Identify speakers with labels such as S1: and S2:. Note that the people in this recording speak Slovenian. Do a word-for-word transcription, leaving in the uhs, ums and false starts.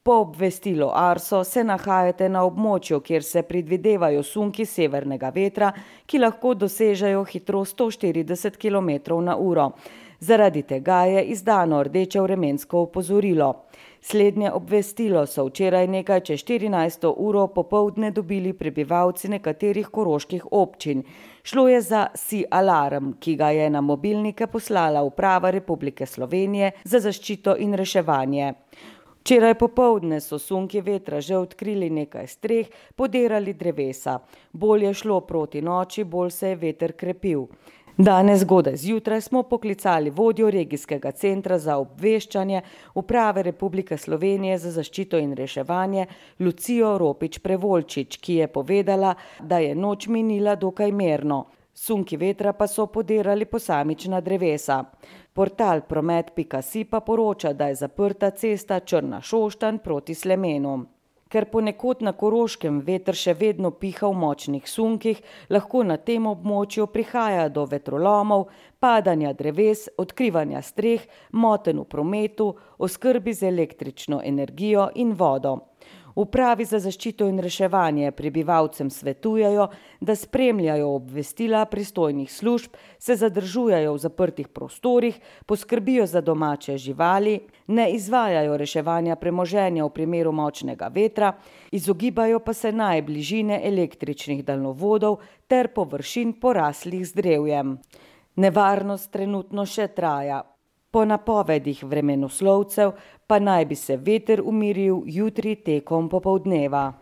S1: Po obvestilu Arso se nahajate na območju, kjer se predvidevajo sunki severnega vetra, ki lahko dosežejo hitrost sto štirideset kilometrov na uro. Zaradi tega je izdano rdeče vremensko opozorilo. Slednje obvestilo so včeraj nekaj čez štirinajsto uro popoldne dobili prebivalci nekaterih koroških občin. Šlo je za SI-alarm, ki ga je na mobilnike poslala Uprava Republike Slovenije za zaščito in reševanje. Včeraj popoldne so sunki vetra že odkrili nekaj streh, podirali drevesa. Bolj je šlo proti noči, bolj se je veter krepil. Danes zgodaj zjutraj smo poklicali vodjo regijskega centra za obveščanje Uprave Republike Slovenije za zaščito in reševanje Lucijo Ropič Prevolčič, ki je povedala, da je noč minila dokaj mirno. Sunki vetra pa so podirali posamična drevesa. Portal promet pika si pa poroča, da je zaprta cesta Črna-Šoštanj proti Slemenu. Ker ponekod na Koroškem veter še vedno piha v močnih sunkih, lahko na tem območju prihaja do vetrolomov, padanja dreves, odkrivanja streh, motenj v prometu, oskrbi z električno energijo in vodo. Upravi za zaščito in reševanje prebivalcem svetujejo, da spremljajo obvestila pristojnih služb, se zadržujejo v zaprtih prostorih, poskrbijo za domače živali, ne izvajajo reševanja premoženja v primeru močnega vetra, izogibajo pa se naj bližine električnih daljnovodov ter površin poraslih z drevjem. Nevarnost trenutno še traja. Po napovedih vremenoslovcev pa naj bi se veter umiril jutri tekom popoldneva.